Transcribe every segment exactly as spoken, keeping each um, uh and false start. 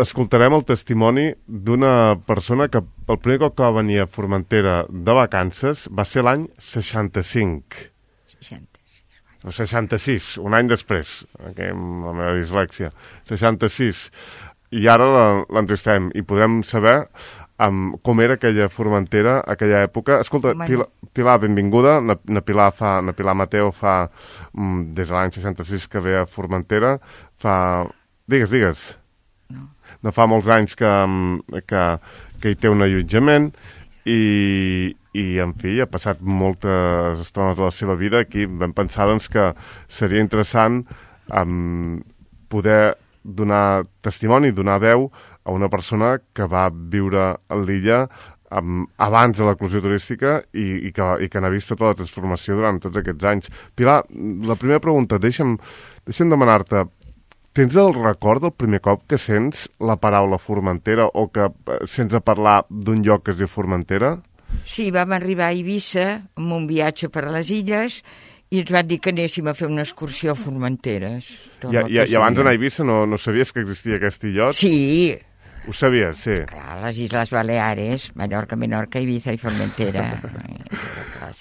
escoltarem el testimoni d'una persona que el primer cop que va venir a Formentera de vacances va ser l'any seixanta-cinc. seixanta-sis. O seixanta-sis, un any després, okay, amb la meva dislèxia. seixanta-sis. I ara l'entristem i podem saber um, com era aquella Formentera, aquella època. Escolta, bueno. Pilar, Pilar, benvinguda. Na, na, Pilar fa, na Pilar Mateo fa, um, des de l'any seixanta-sis que ve a Formentera, fa... Digues, digues. No. No fa molts anys que, que, que hi té un allotjament i, i, en fi, ha passat moltes estones de la seva vida. Aquí vam pensar, doncs, que seria interessant um, poder donar testimoni, donar veu a una persona que va viure a l'illa um, abans de l'eclosió turística i, i, que, i que n'ha vist tota la transformació durant tots aquests anys. Pilar, la primera pregunta, deixa'm, deixa'm demanar-te, tens el record del primer cop que sents la paraula Formentera o que sents a parlar d'un lloc que es diu Formentera? Sí, vam arribar a Eivissa amb un viatge per a les illes i ens van dir que anéssim a fer una excursió a Formenteres. I, i, I abans d'anar a Eivissa no, no sabies que existia aquest illot? Sí. Ho sabies, sí. Clar, les Isles Baleares, Mallorca, Menorca, Eivissa i Formentera.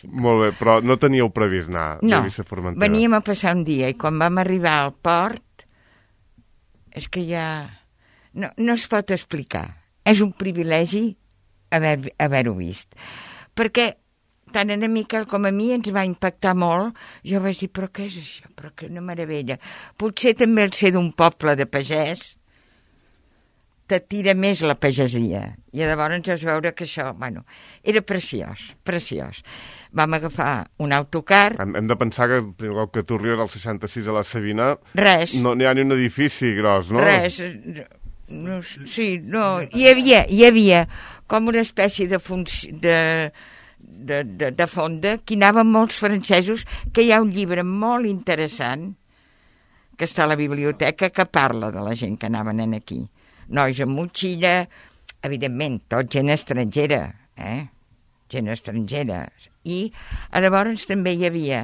Molt bé, però no teníeu previst anar no, a Eivissa a Formentera? No, veníem a passar un dia i quan vam arribar al port és que ja... No, no es pot explicar. És un privilegi haver, haver-ho vist. Perquè tant a Miquel com a mi ens va impactar molt. Jo vaig dir, però què és això? Però que una meravella. Potser també el ser d'un poble de pagès t'atira més la pagesia. I llavors vas veure que això, bueno, era preciós, preciós. Vam agafar un autocar... Hem, hem de pensar que el primer cop que tu arribes al seixanta-sis a la Sabina... Res. No n'hi ha ni un edifici gros, no? Res. No, sí, no. Hi havia, hi havia com una espècie de, func... de, de, de, de fonda que hi anaven molts francesos, que hi ha un llibre molt interessant que està a la biblioteca que parla de la gent que anaven en aquí. Nois amb motxilla, evidentment, tot gent estrangera, eh? Gent estrangera. I llavors també hi havia...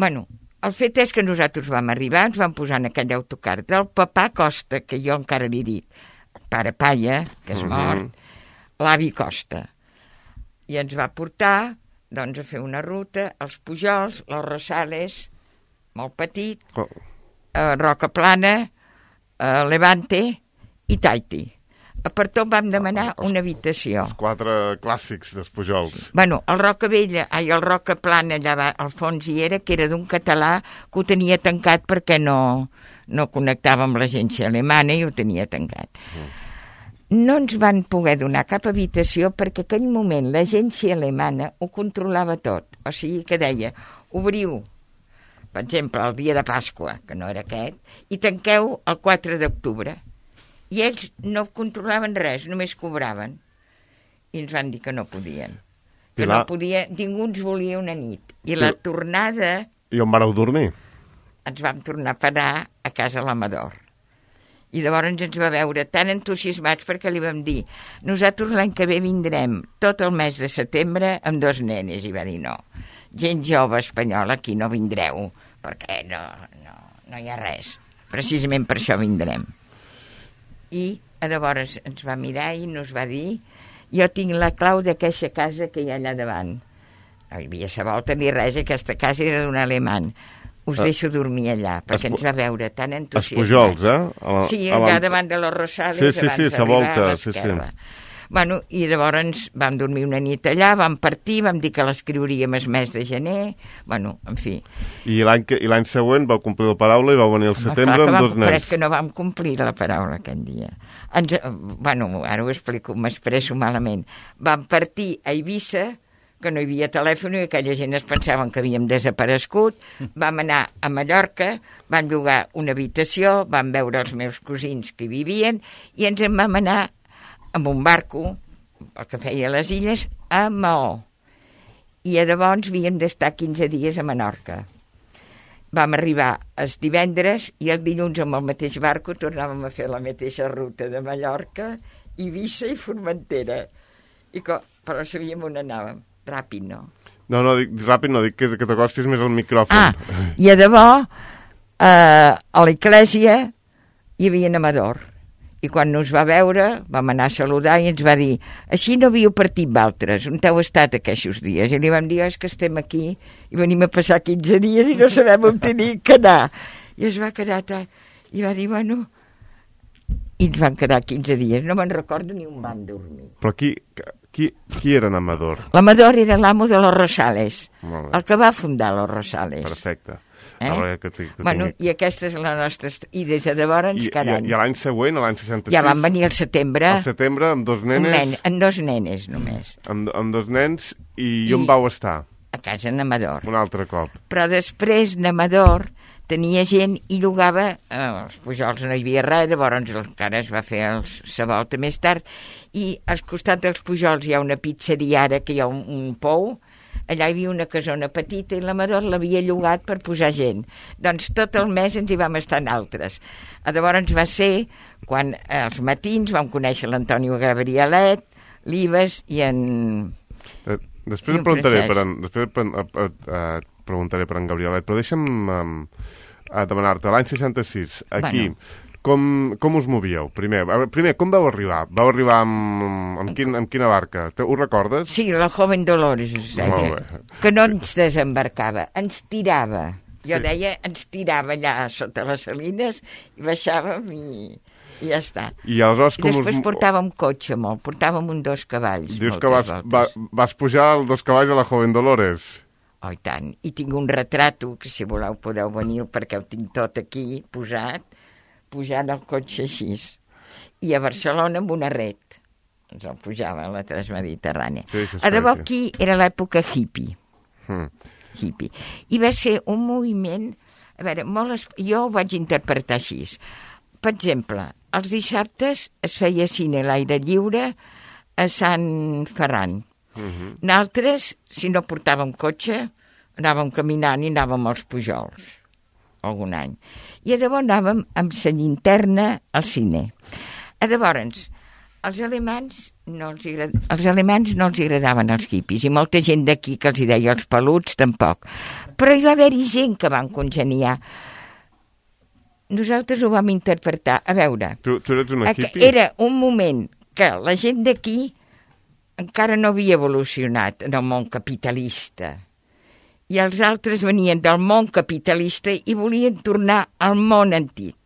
Bueno, el fet és que nosaltres vam arribar, ens vam posar en aquell autocar del papà Costa, que jo encara li dic, el pare Palla, que és mort, uh-huh. L'avi Costa. I ens va portar, doncs, a fer una ruta, als Pujols, les Rosales, molt petit, oh. a Roca Plana, a Levante i Tahiti. Per tot vam demanar els, una habitació. Els quatre clàssics dels Pujols. Bueno, el Roca Vella, ai, el Roca Plana allà al fons hi era, que era d'un català que ho tenia tancat perquè no, no connectava amb l'agència alemana i ho tenia tancat. Mm. No ens van poder donar cap habitació perquè en aquell moment l'agència alemana ho controlava tot. O sigui que deia, obriu, per exemple, el dia de Pasqua, que no era aquest, i tanqueu el quatre d'octubre. I ells no controlaven res, només cobraven. I ens van dir que no podien. Que Pilar... no podia, ningú ens volia una nit. I la I... tornada... I on vareu dormir? Ens vam tornar a parar a casa l'Amador. I llavors ens va veure tan entusiasmats perquè li vam dir, nosaltres l'any que ve vindrem tot el mes de setembre amb dos nenes. I va dir, no, gent jove espanyola, aquí no vindreu, perquè no, no, no hi ha res. Precisament per això vindrem. I llavors ens va mirar i nos va dir, jo tinc la clau d'aquesta casa que hi ha allà davant. No hi havia sa volta ni res, aquesta casa era d'un alemany. Us uh, deixo dormir allà, perquè ens va veure tan entusiasmats. Els Pujols, eh? A la, sí, allà davant de los Rosales, sí, sí, abans sí, d'arribar volta, a l'esquerra. Sí, sí. Bueno, i llavors vam dormir una nit allà, vam partir, vam dir que l'escriuríem el mes de gener, bueno, en fi. I l'any que, i l'any següent vau complir la paraula i vau venir al setembre amb vam, dos nens. Però és que no vam complir la paraula aquest dia. Ens, bueno, ara ho explico, m'expresso malament. Vam partir a Eivissa, que no hi havia telèfon i aquella gent es pensaven que havíem desaparegut. Vam anar a Mallorca, vam llogar una habitació, vam veure els meus cosins que hi vivien i ens en vam anar amb un barco, el que feia a les illes, a Maó. I llavors havíem d'estar quinze dies a Menorca. Vam arribar els divendres i el dilluns amb el mateix barco tornàvem a fer la mateixa ruta de Mallorca, Eivissa i Formentera. I co... Però sabíem on anàvem. Ràpid, no? No, no, dic, ràpid no, dic que, que t'acostis més al micròfon. Ah, i a debò, eh, a l'església hi havia un amador. I quan nos va veure, vam anar a saludar i ens va dir, així no havíeu partit d'altres, on heu estat aquests dies? I li vam dir, oh, és que estem aquí i venim a passar quinze dies i no sabem on tenir que anar. I es va quedar... I va dir, bueno... I ens van quedar quinze dies, no me'n recordo ni on van dormir. Però qui, qui, qui era en Amador? L'Amador era l'amo de los Rosales, el que va fundar los Rosales. Perfecte. Eh? Ah, que que bueno, i aquesta és la nostra... I des de llavors, cada any. I, i l'any següent, l'any seixanta-sis... Ja van venir al setembre. Al setembre, amb dos nenes... Nen, amb dos nenes, només. Amb, amb dos nens, i, I on vau estar? A casa n'Amador. Un altre cop. Però després n'Amador tenia gent i llogava... Eh, els Pujols no hi havia res, llavors encara es va fer el Savolta més tard, i al costat dels Pujols hi ha una pizzeria ara, que hi ha un, un pou. Allà hi havia una casona petita i l'Amador l'havia llogat per posar gent. Doncs tot el mes ens hi vam estar en altres. Llavors va ser quan als matins vam conèixer l'Antonio Gabrielet, l'Ives i en... Després et preguntaré, per en, després per, per, uh, preguntaré per en Gabrielet, però deixa'm um, demanar-te, l'any seixanta-sis, aquí... Bueno. Com, com us movíeu? Primer, primer, com vau arribar? Vau arribar amb, amb, quin, amb quina barca? Ho recordes? Sí, la Joven Dolores, es deia, que no ens desembarcava, ens tirava. Jo sí. deia, ens tirava allà sota les salines i baixàvem i, i ja està. I, aleshores, com I després us... portàvem cotxe molt, portàvem un dos cavalls. Dius que vas, va, vas pujar el dos cavalls a la Joven Dolores? Oh, i tant. I tinc un retrato, que si voleu podeu venir, perquè ho tinc tot aquí posat, pujant el cotxe així, i a Barcelona amb una ret ens el pujava a la Transmediterrània. Sí, a debò aquí era l'època hippie. Mm. hippie i va ser un moviment, a veure, molt es... jo ho vaig interpretar així. Per exemple, els dissabtes es feia cine a l'aire lliure a Sant Ferran. Mm-hmm. Nosaltres, si no portàvem cotxe, anàvem caminant i anàvem als Pujols algun any. I llavors anàvem amb la llinterna al cine. Llavors, els alemans no els, agrad... els alemans no els agradaven els hippies, i molta gent d'aquí que els hi deia els peluts tampoc. Però hi va haver-hi gent que van congeniar. Nosaltres ho vam interpretar. A veure, tu, tu eres una hippie? Era un moment que la gent d'aquí encara no havia evolucionat en el món capitalista. I els altres venien del món capitalista i volien tornar al món antic.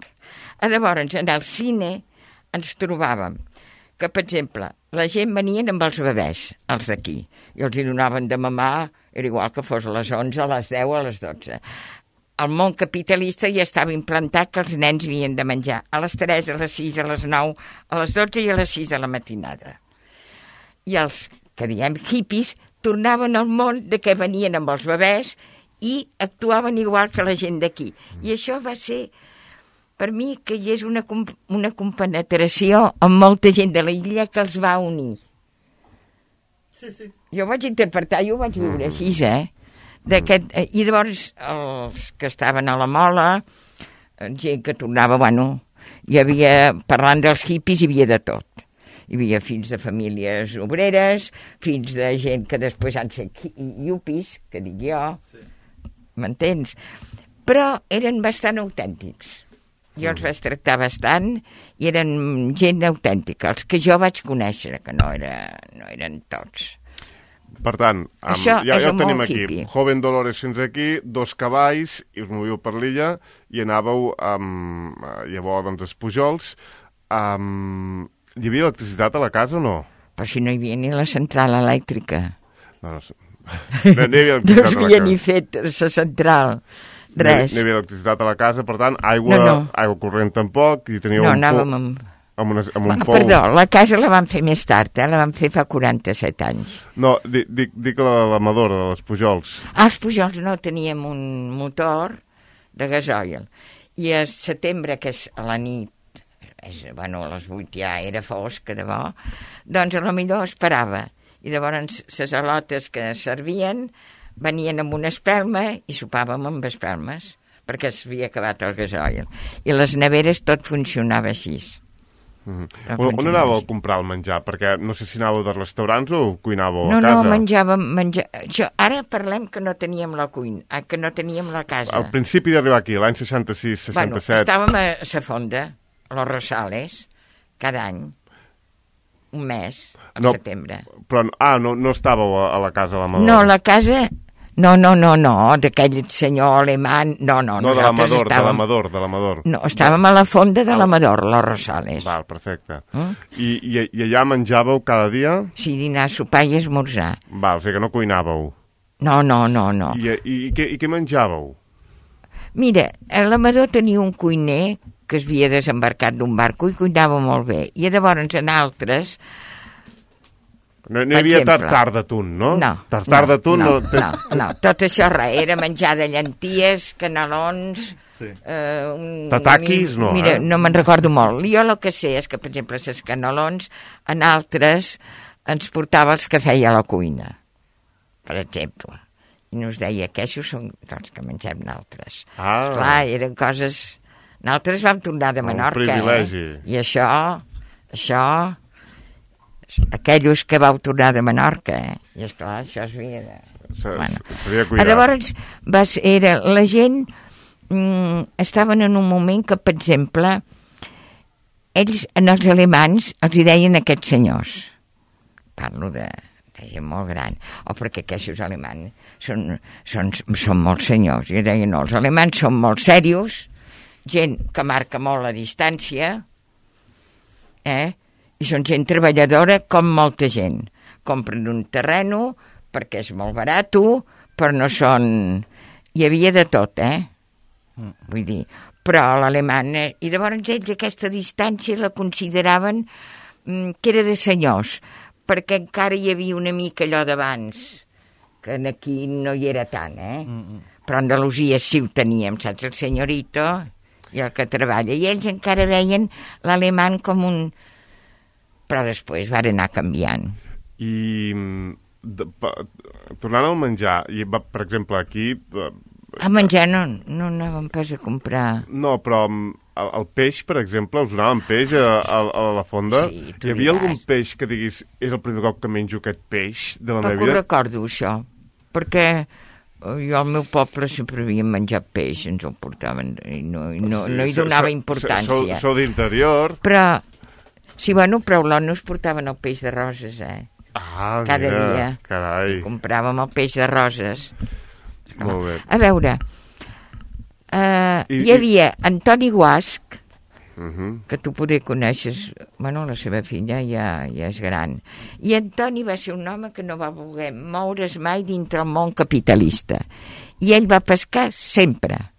Llavors, en el cine ens trobàvem que, per exemple, la gent venien amb els bebès, els d'aquí, i els hi donaven de mamar, era igual que fos a les onze, a les deu, a les dotze. Al món capitalista ja estava implantat que els nens havien de menjar a les tres, a les sis, a les nou, a les dotze i a les sis de la matinada. I els que diem hippies tornaven al món de què venien amb els bebès i actuaven igual que la gent d'aquí. I això va ser, per mi, que hi és una, una compenetració amb molta gent de l'illa que els va unir. Sí, sí. Jo vaig interpretar, jo ho vaig viure mm. així, eh? I llavors, els que estaven a la mola, gent que tornava, bueno, hi havia, parlant dels hippies, hi havia de tot. Hi havia fills de famílies obreres, fills de gent que després han set iupis, que dic jo, sí. M'entens? Però eren bastant autèntics. Jo els vaig tractar bastant i eren gent autèntica, els que jo vaig conèixer, que no, era, no eren tots. Per tant, um, ja, ja ho tenim aquí. Hippie. Joven Dolores fins aquí, dos cavalls, i us movíeu per l'illa, i anàveu amb, llavors, doncs, els Pujols. Um, hi havia electricitat a la casa o no? Però si no hi havia ni la central elèctrica. No, no, no, no hi havia electricitat no havia ni fet la central, res. No hi havia electricitat a la casa, per tant, aigua, no, no. aigua corrent tampoc, i teníeu no, un anàvem amb... amb, una, amb un pou... Perdó, la casa la van fer més tard, eh? La van fer fa quaranta-set anys. No, dic, dic, dic la de l'Amador, de les Pujols. Ah, els Pujols no, teníem un motor de gasoil. I a setembre, que és a la nit, és, bueno, a les vuit ja era fosc, de bo, doncs a lo millor esperava. I llavors les alotes que servien venien amb una espelma i sopàvem amb espelmes, perquè s'havia acabat el gasoil. I les neveres tot funcionava així. Mm-hmm. On, on anàveu a comprar el menjar? Perquè no sé si anàveu de restaurants o cuinàveu no, a casa. No, no, menjàvem... Menja... Jo, ara parlem que no teníem la cuina, que no teníem la casa. Al principi d'arribar aquí, l'any seixanta-sis, seixanta-set... Bueno, estàvem a Sa Fonda, a los Rosales, cada any, un mes, al no, setembre. Però, ah, no, no estàveu a, a la casa de l'Amador? No, la casa... No, no, no, no, d'aquell senyor alemany, no, no, no, de l'Amador, estàvem... de l'Amador, de l'Amador. No, estàvem a la fonda de l'Amador, los Rosales. Val, perfecte. Mm? I, i, I allà menjàveu cada dia? Sí, dinar, sopar i esmorzar. Val, o sigui que no cuinàveu. No, no, no, no. I, i, i, què, i què menjàveu? Mira, l'Amador tenia un cuiner que es havia desembarcat d'un barco i cuinava molt bé. I llavors en altres... No, no hi havia tartar d'atún, no? No. Tartar no, d'atún no, no, no, no. Tot això res, era menjar de llenties, canelons... Sí. Eh, un, Tataquis, no, Mira, eh? no me'n recordo molt. Jo el que sé és que, per exemple, les canelons, en altres ens portava els que feia a la cuina, per exemple. I nos deia que això són els que mengem nosaltres. Ah. Esclar, eren coses... Nosaltres vam tornar de Menorca, un privilegi. eh? I això, això... aquells que vau tornar de Menorca, eh? I esclar, això es havia de... Bueno. S'havia de cuidar. Llavors, va ser, era, la gent mm, estaven en un moment que, per exemple, ells, en els alemans, els hi deien aquests senyors. Parlo de, de gent molt gran. O perquè aquests alemans són, són, són molt senyors. I deien, no, els alemans són molt serios, gent que marca molt la distància, eh? I són gent treballadora com molta gent. Compren un terreno perquè és molt barat, però no són... Hi havia de tot, eh? Mm. Vull dir, però l'alemany... I llavors ells aquesta distància la consideraven mm, que era de senyors, perquè encara hi havia una mica allò d'abans, que aquí no hi era tant, eh? Mm-mm. Però a Andalusia sí ho teníem, saps? El senyorito i el que treballa. I ells encara veien l'alemany com un... Però després van anar canviant. I de, pa, tornant al menjar, i va, per exemple, aquí... A menjar no, no anàvem pas a comprar. No, però el, el peix, per exemple, us donaven peix a, a, a la fonda? Sí, hi havia algun peix que diguis, és el primer cop que menjo aquest peix de la Poc meva vida? Ho recordo, això, perquè jo al meu poble sempre havíem menjat peix, ens ho portaven, i no, i no, sí, no hi donava so, importància. Sou, sou d'interior. Però... Sí, bueno, però a l'O N U es portaven el peix de roses, eh? Ah, cada mira, dia. Carai. I compràvem el peix de roses. Molt bé. A veure, uh, I, hi havia Antoni Guasch, uh -huh. que tu poder coneixes, bueno, la seva filla ja, ja és gran. I Antoni va ser un home que no va voler moure's mai dintre el món capitalista. I ell va pescar sempre.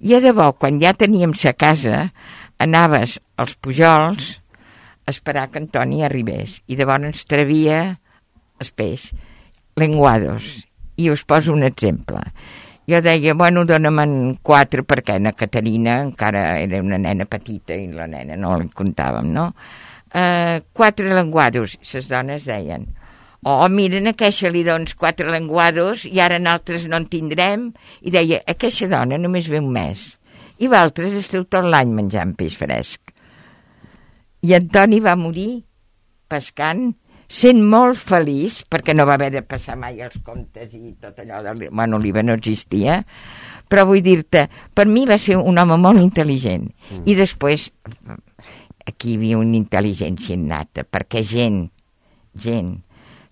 I a debò, quan ja teníem sa casa, anaves als pujols esperar que Antoni arribés i llavors ens travia el peix, lenguados, i us poso un exemple. Jo deia, bueno, dóna'm quatre perquè na Caterina encara era una nena petita i la nena no li contàvem, no? Uh, quatre lenguados, les dones deien, oh, miren, a queixa li dones quatre lenguados i ara nosaltres no en tindrem, i deia, a queixa dona només ve un mes i vosaltres esteu tot l'any menjant peix fresc. I Antoni va morir pescant, sent molt feliç, perquè no va haver de passar mai els comptes i tot allò de... Bueno, l'I V A no existia, però vull dir-te, per mi va ser un home molt intel·ligent. Mm. I després, aquí hi havia una intel·ligència innata, perquè gent, gent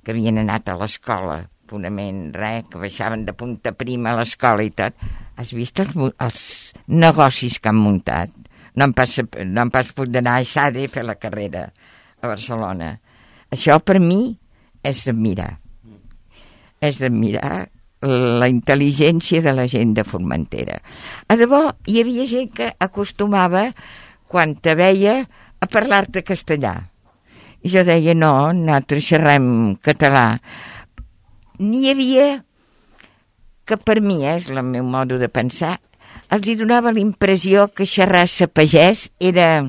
que havien anat a l'escola, fonament, res, que baixaven de punta prima a l'escola i tot, has vist els, els negocis que han muntat? No em pas, no em pas pot anar a Sade i fer la carrera a Barcelona. Això per mi és d'admirar. És d'admirar la intel·ligència de la gent de Formentera. A debò, hi havia gent que acostumava, quan te veia, a parlar-te castellà. I jo deia, no, nosaltres xerrem català. N'hi havia que per mi, és el meu modo de pensar, els hi donava l'impressió que xerrar-se pagès era,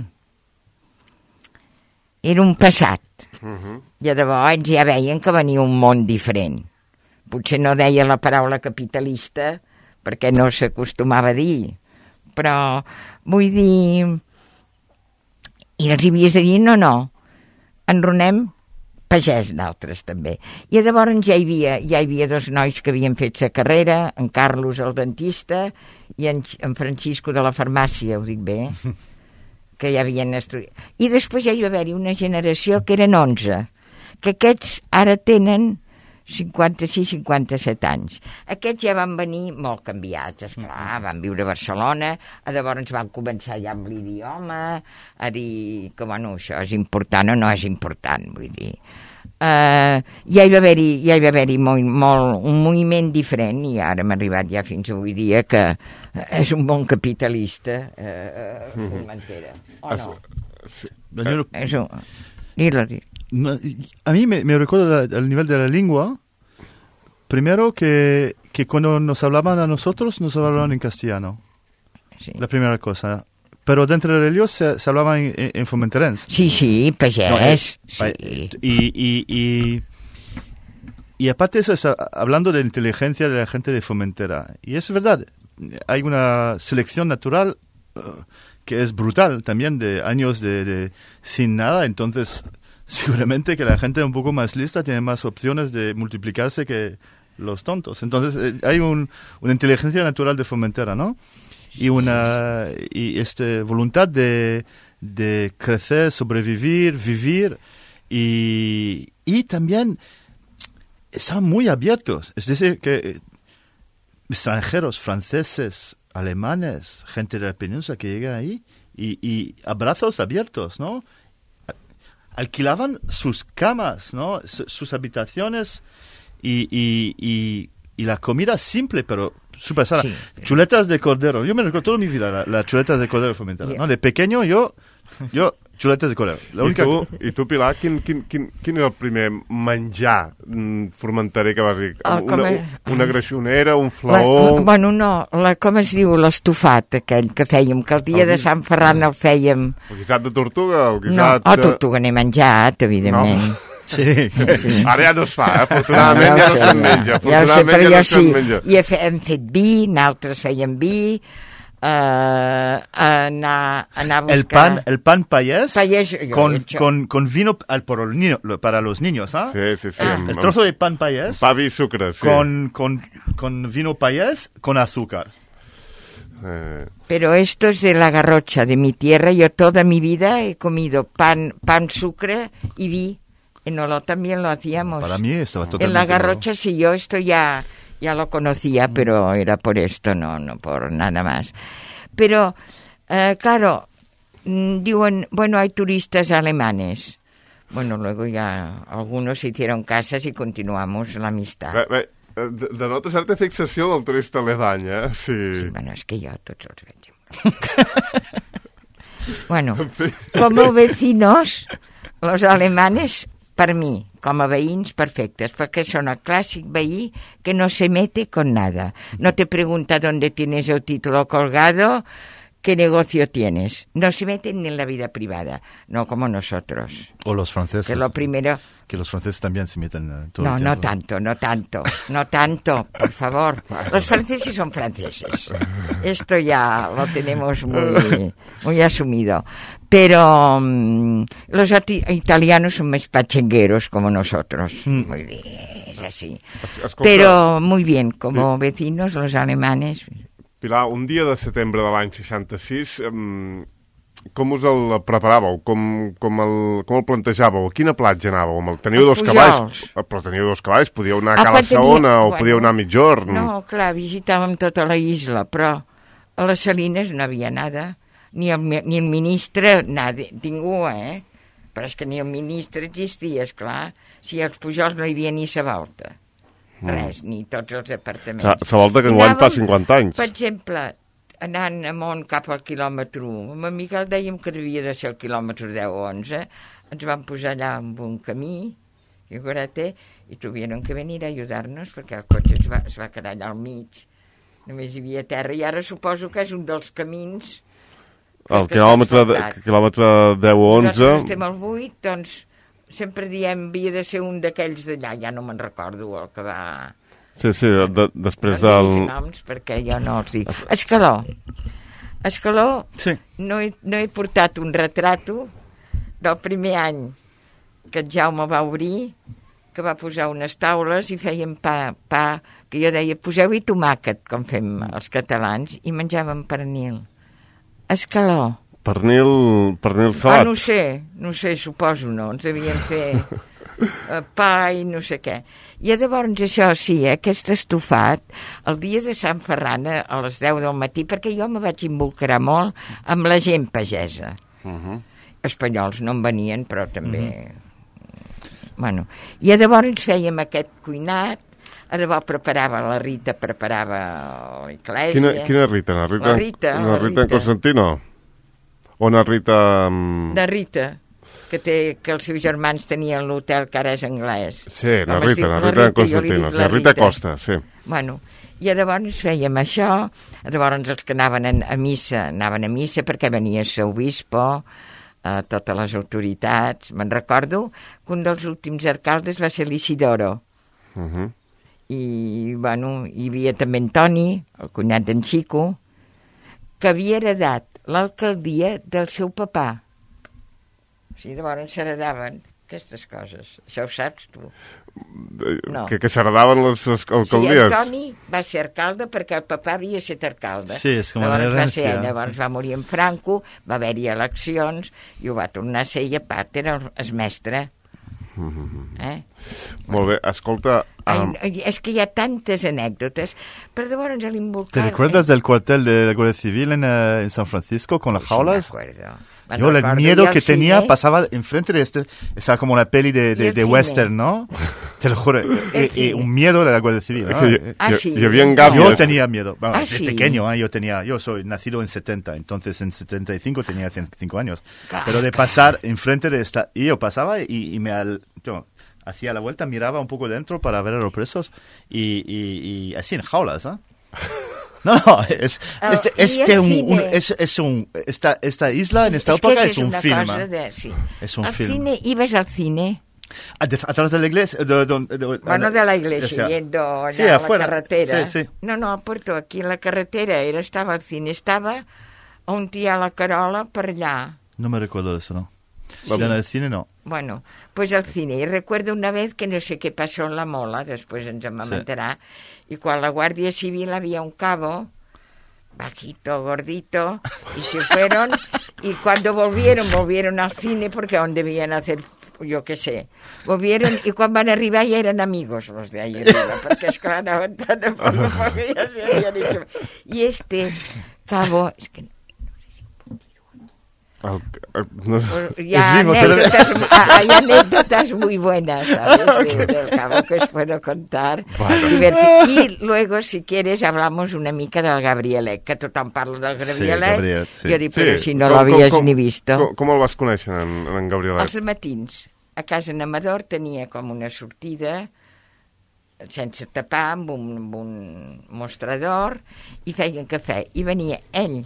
era un passat. Uh-huh. I de bo ells ja veien que venia un món diferent. Potser no deia la paraula capitalista perquè no s'acostumava a dir, però vull dir... I els hi havies de dir, no, no, enronem pagès d'altres també. I llavors ja hi havia, ja hi havia dos nois que havien fet sa carrera, en Carlos el dentista i en, en Francisco de la farmàcia, ho dic bé, que ja havien estudiat. I després ja hi va haver-hi una generació que eren onze, que aquests ara tenen cinquanta-sis cinquanta-set anys. Aquests ja van venir molt canviats, esclar, van viure a Barcelona, llavors van començar ja amb l'idioma, a dir que, bueno, això és important o no és important, vull dir. Uh, ja hi va haver-hi, ja hi va haver-hi molt, molt, un moviment diferent i ara hem arribat ja fins avui dia que és un bon capitalista, uh, Formentera, o no? Sí. Uh, és un... Dilo, dilo. A mí me, me recuerda al nivel de la lengua, primero que, que cuando nos hablaban a nosotros, nos hablaban en castellano. Sí. La primera cosa. Pero dentro de ellos se, se hablaban en, en, en formenterense. Sí, sí, pagés. No, es, sí. Y, y, y, y aparte eso, es hablando de la inteligencia de la gente de Formentera. Y es verdad, hay una selección natural uh, que es brutal también, de años de, de sin nada, entonces... Seguramente que la gente un poco más lista tiene más opciones de multiplicarse que los tontos. Entonces eh, hay un, una inteligencia natural de Formentera, ¿no? Y una y este voluntad de, de crecer, sobrevivir, vivir y, y también están muy abiertos. Es decir, que extranjeros, franceses, alemanes, gente de la península que llegan ahí y, y abrazos abiertos, ¿no? Alquilaban sus camas, ¿no? S- sus habitaciones y, y, y, y la comida simple, pero súper sana. Sí. Chuletas de cordero. Yo me recuerdo toda mi vida la, las chuletas de cordero Formentera, yeah. ¿no? De pequeño yo, yo chuletes de cordero. La única... I, tu, I tu, Pilar, quin, quin, quin, quin era el primer menjar formenterer que vas dir? Oh, una, és... una greixonera, un flaó... La, bueno, no, la, com es diu, l'estofat aquell que fèiem, que el dia el de Sant Ferran el fèiem... El guisat de tortuga? El guisat no, oh, de... tortuga n'he menjat, evidentment. No. Sí. sí. Ara ja no es fa, eh? Afortunadament ja, ja no se'n menja. Ja ho sé, però jo sí. I hem fet vi, nosaltres fèiem vi... Uh, anar, anar a buscar... El pan, el pan payés, payés con, con, con vino al, por el niño, para los niños, ¿ah? ¿eh? Sí, sí, sí. Ah. El trozo de pan payés. Pa y azúcar, sí. Con, con, con vino payés, con azúcar. Eh. Pero esto es de la Garrocha, de mi tierra. Yo toda mi vida he comido pan, pan, sucre y vi. En Olot también lo hacíamos. Para mí estaba totalmente... En la Garrocha nuevo. Sí, yo esto ya... Ya lo conocía, pero era por esto, no, no por nada más. Pero, eh, claro, diuen, bueno, hay turistas alemanes. Bueno, luego ya algunos se hicieron casas y continuamos la amistad. Bé, bé, denota certa fixació del turista alemany, eh? Sí, sí, bueno, és que jo tots els veig. Bueno, como vecinos, los alemanes... Per mi, com a veïns, perfectes, perquè són el clàssic veí que no se mete con nada. No te pregunta dónde tienes el título colgado, qué negocio tienes. No se meten ni en la vida privada, no como nosotros. O los franceses. Que lo primero... Que los franceses también se meten uh, todo No, el no tanto, no tanto, no tanto, por favor. Los franceses son franceses. Esto ya lo tenemos muy, muy asumido. Pero um, los italianos son más pachengueros como nosotros. Mm. Muy bien, es así. Escolta, pero muy bien, como vecinos, los alemanes... Pilar, un dia de setembre de l'any seixanta-sis... Um... Com us el preparàveu? Com, com, el, com el plantejàveu? A quina platja anàveu? Teniu dos cavalls, però teniu dos cavalls, podíeu anar a Cala Saona o bueno, podíeu anar a Migjorn. No, clar, visitàvem tota la isla, però a les Salines no havia nada, ni el, ni el ministre, nada, ningú, eh? Però és que ni el ministre existia, esclar, si als Pujols no hi havia ni sa volta, res, mm. ni tots els apartaments. Sa, sa volta que enguany fa cinquanta anys. Per exemple... anant amunt cap al quilòmetre u. Amb en Miquel dèiem que devia de ser el quilòmetre deu o onze. Ens vam posar allà amb un camí, i tuvieron que venir a ajudar-nos perquè el cotxe es va, es va quedar allà al mig. Només hi havia terra. I ara suposo que és un dels camins... El quilòmetre, de, quilòmetre deu o onze... Nosaltres estem al vuit, doncs sempre diem havia de ser un d'aquells d'allà. Ja no me'n recordo el que va... Sí, sí, de, després del... No noms perquè jo no els dic. Escaló. Escaló, sí. no, he, no he portat un retrato del primer any que el Jaume va obrir, que va posar unes taules i fèiem pa, pa que jo deia, poseu-hi tomàquet, com fem els catalans, i menjàvem pernil. Escaló. Pernil, pernil Ah, salat. no ho sé, no ho sé, suposo no, ens devien fer uh, pa i no sé què. I llavors això sí, eh, aquest estofat, el dia de Sant Ferran a les deu del matí, perquè jo me vaig involucrar molt amb la gent pagesa. Uh-huh. Espanyols no en venien, però també... Uh-huh. Bueno, i llavors fèiem aquest cuinat, a debò preparava la Rita, preparava l'Eclèsia. Quina, quina Rita? La Rita, la Rita, la Rita en Constantino? O una Rita... Um... De Rita, que, té, que els seus germans tenien l'hotel que ara és anglès. Sí, la Com es Rita, diu? la La Rita en Rita, jo li Constantino, dic la la Rita Rita. Costa, sí. Bueno, i llavors fèiem això, llavors els que anaven a missa, anaven a missa perquè venia el obispo, eh, totes les autoritats. Me'n recordo que un dels últims alcaldes va ser l'Isidoro. Uh-huh. I, bueno, hi havia també en Toni, el cunyat d'en Xico, que havia heredat l'alcaldia del seu papà. O sigui, llavors s'heredaven aquestes coses. Això ho saps, tu? No. Que, que s'heredaven les, les alcaldies. Sí, en Toni va ser alcalde perquè el papà havia estat alcalde. Sí, és com una llavors va ser herència. ell, llavors va morir en Franco, va haver-hi eleccions, i ho va tornar a ser, i a part era el, el mestre. Eh? Molt bé, escolta... Um... Ai, és que hi ha tantes anècdotes, però llavors l'involucrar... ¿Te recuerdas del cuartel de la Guardia Civil en, uh, en San Francisco con las jaulas? Sí, me acuerdo. Yo el miedo que tenía pasaba enfrente de este, estaba como una peli de, de, de western, ¿no? Te lo juro, y, y un miedo de la Guardia Civil, ¿no? Que, ah, y, sí. y había gavias. Yo tenía miedo, bueno, ah, de sí. pequeño, ¿eh? yo tenía, yo soy nacido en setenta, entonces en setenta y cinco tenía cinco años, Ah, pero de pasar enfrente de esta, y yo pasaba y, y me al, yo, hacía la vuelta, miraba un poco dentro para ver a los presos y, y, y así en jaulas, ¿eh? No, no, es, el, este, este un, un, es, es un, esta, esta isla en esta es época es, es un una film. Cosa de, sí. Es un al film. Cine, ¿ibas al cine? ¿A, de, ¿Atrás de la iglesia? De, de, de, de, bueno, de la iglesia, o sea, yendo sí, a afuera. la carretera. Sí, sí. No, no, a Puerto, aquí en la carretera, era, estava al cine, estava on hi ha la Carola per allà. No me recuerdo de eso, ¿no? Sí. En el cine no. Bueno, pues al cine. Y recuerdo una vez que no sé qué pasó en la Mola, después ens en comentará, sí. Y cuando la Guardia Civil había un cabo, bajito, gordito, y se fueron, y cuando volvieron, volvieron al cine, porque aún debían hacer, yo qué sé, volvieron, y cuando van a arribar ya eran amigos los de ahí arriba, porque es que anaven tan a poco, porque ya se habían hecho. Y este cabo, es que El, el, no... Hay anécdotas, hay anécdotas muy buenas, ¿sabes? De, del cabo que os puedo contar. Vale. Y luego, si quieres, hablamos una mica del Gabrielet, que tothom parla del Gabrielet. Sí, Gabriel, sí. Jo dic, però sí. si no com, l'havies com, ni visto. Com, com el vas conèixer, en, en Gabrielet? Els matins. A casa en Amador tenia com una sortida sense tapar, amb un, amb un mostrador, i feien cafè. I venia ell,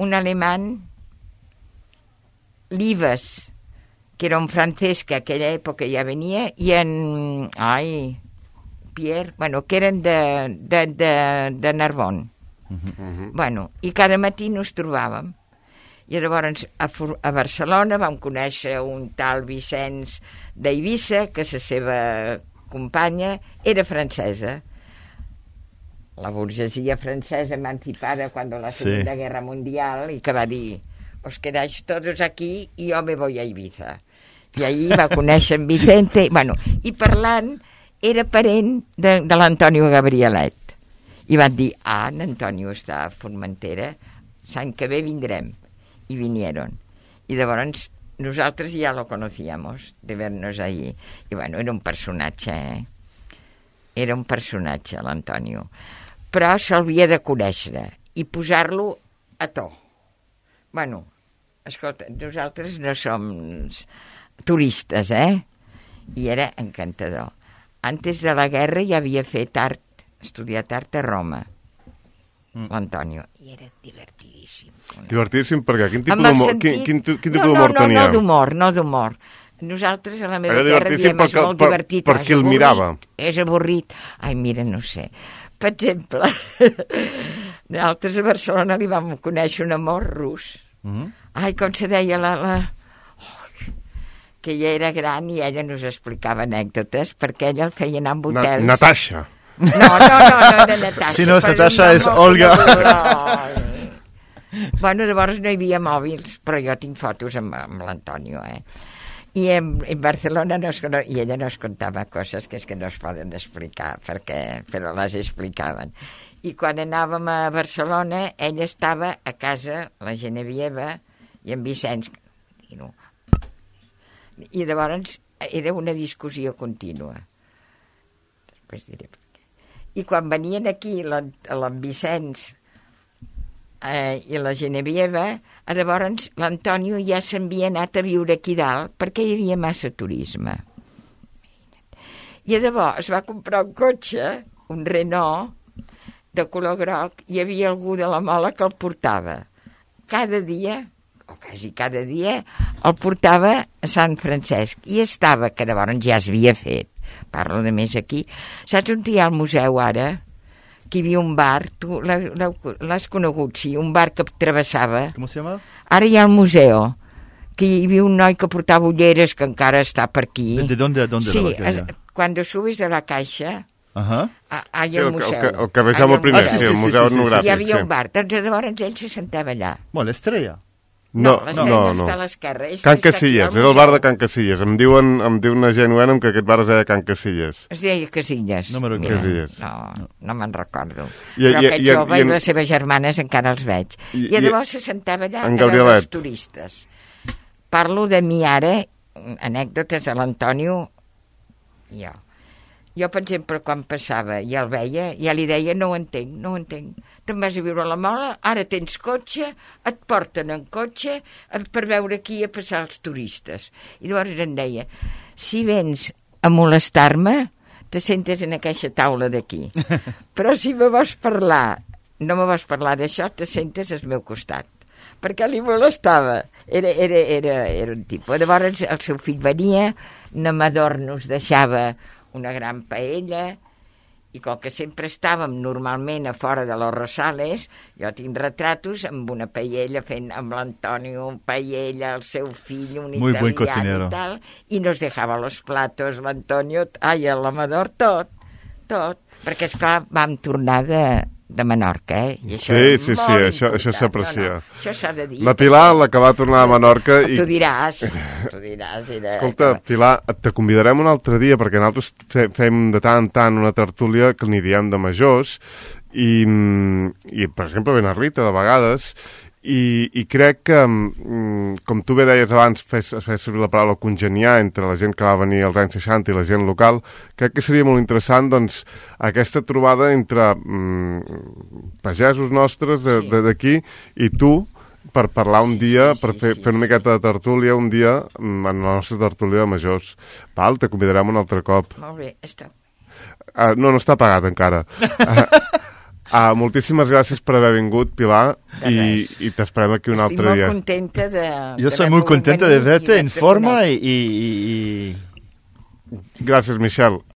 un alemany, l'Ives, que era un francès que a aquella època ja venia, i en... Ai, Pierre, bueno, que eren de, de, de, de Narbonne. Uh-huh. Bueno, i cada matí nos trobàvem. I llavors a, a Barcelona vam conèixer un tal Vicenç d'Eivissa, que la seva companya era francesa. La burgesia francesa emancipada quan la Segunda sí. Guerra Mundial, i que va dir... os quedáis todos aquí y yo me voy a Ibiza. I ahir va conèixer en Vicente, bueno, i parlant era parent de, de l'Antonio Gabrielet. I van dir, ah, l'Antonio està a Formentera, l'any que ve vindrem. I vinieron. I llavors nosaltres ja lo conocíamos, de vernos allí. I bueno, era un personatge, eh? Era un personatge, l'Antonio. Però s'havia de conèixer i posar-lo a to. Bueno, escolta, nosaltres no som turistes, eh? I era encantador. Antes de la guerra ja havia fet art, estudiat art a Roma, mm. l'Antonio, i era divertidíssim. Divertidíssim perquè quin tipus d'humor, sentit... quin, quin, quin tipus no, d'humor no, no, tenia? No, d'humor, no d'humor. Nosaltres a la meva era terra diem és molt per, divertit. Per qui el mirava? És avorrit. Ai, mira, no sé. Per exemple, nosaltres a Barcelona li vam conèixer un amor rus. Mm-hmm. Ai, com se deia la... la... Oh, que ella era gran i ella nos explicava anècdotes perquè ella el feia anar amb hotels. Na, Natasha. No, no, no, no, de Natasha. Si no és Natasha, és Olga. Bueno, llavors no hi havia mòbils, però jo tinc fotos amb, amb l'Antonio, eh? I en, en Barcelona no es, i ella no es contava coses que és que no es poden explicar, perquè, però les explicaven. I quan anàvem a Barcelona, ella estava a casa, la Genevieva i en Vicenç. I, no. I llavors era una discussió contínua. Després diré per què. I quan venien aquí l'en Vicenç eh, i la Genevieva, llavors l'Antonio ja s'havia anat a viure aquí dalt perquè hi havia massa turisme. I llavors va comprar un cotxe, un Renault, de color groc, hi havia algú de la Mola que el portava. Cada dia, o quasi cada dia, el portava a Sant Francesc. I estava, que llavors ja es havia fet, parlo de més aquí. Saps on hi ha el museu ara? Que hi havia un bar, tu l'has conegut, sí, un bar que travessava. Com se llama? Ara hi ha el museu, que hi havia un noi que portava ulleres que encara està per aquí. ¿De dónde a dónde? Sí, la es, cuando subes de la Caixa, Ajá. hay sí, el el, museu. el, el carrer Jaume I, Ah, sí, sí, sí, el sí, museu sí, sí, sí. etnogràfic. Hi havia sí. un bar, doncs llavors ell se sentava allà. Bueno, l'Estrella. No, no, no, no. està a l'esquerra. Can Casillas, era el bar de Can Casillas. Em diuen, em diu una gent nuena que aquest bar es deia Can Casillas. Es deia Casillas. No me'n Mira, Casillas. No, no me'n recordo. I- Però i- aquest i- jove i i, en- les seves germanes encara els veig. I- I, i- llavors se sentava allà en a veure Gabrielet. els turistes. Parlo de mi ara, anècdotes de l'Antonio i jo. Jo, per exemple, quan passava i el veia, ja li deia, no ho entenc, no ho entenc. Te'n vas a viure a la Mola, ara tens cotxe, et porten en cotxe per veure aquí a passar els turistes. I llavors em deia, si vens a molestar-me, te sentes en aquesta taula d'aquí. Però si me vols parlar, no me vols parlar d'això, te sentes al meu costat. Perquè li molestava. Era, era, era, era un tipus. Llavors el seu fill venia, Namador nos deixava una gran paella, i com que sempre estàvem normalment a fora de los Rosales, jo tinc retratos amb una paella fent amb l'Antonio, un paella, el seu fill, un Muy buen italià cocinero. i tal, i nos dejava los platos, l'Antonio, ai, l'Amador, tot, tot, perquè esclar vam tornar de, de Menorca, eh? I això Sí, és sí, sí, molt això, això important. s'aprecia. No, no, això s'ha de dir. La Pilar, la que va tornar a Menorca... I... Tu diràs, tu diràs. Era... Escolta, Pilar, te convidarem un altre dia, perquè nosaltres fe- fem de tant en tant una tertúlia que n'hi diem de majors, i, i per exemple, ben a Rita, de vegades, i, i crec que, mm, com tu bé deies abans, fes, fes servir la paraula congeniar entre la gent que va venir als anys seixanta i la gent local, crec que seria molt interessant, doncs, aquesta trobada entre mm, pagesos nostres de- Sí. de- d'aquí i tu, per parlar un Sí, dia, sí, per sí, fer, sí, fer una sí. miqueta de tertúlia un dia mm, en la nostra tertúlia de majors. Val, te convidarem un altre cop. Molt bé, està. Uh, no, no està pagat encara. Uh, uh, moltíssimes gràcies per haver vingut, Pilar, De i, res. i t'esperem aquí un Estic altre molt dia. contenta de... Yo soy muy contento de verte en forma y, y, y- y- Gràcies, Michel.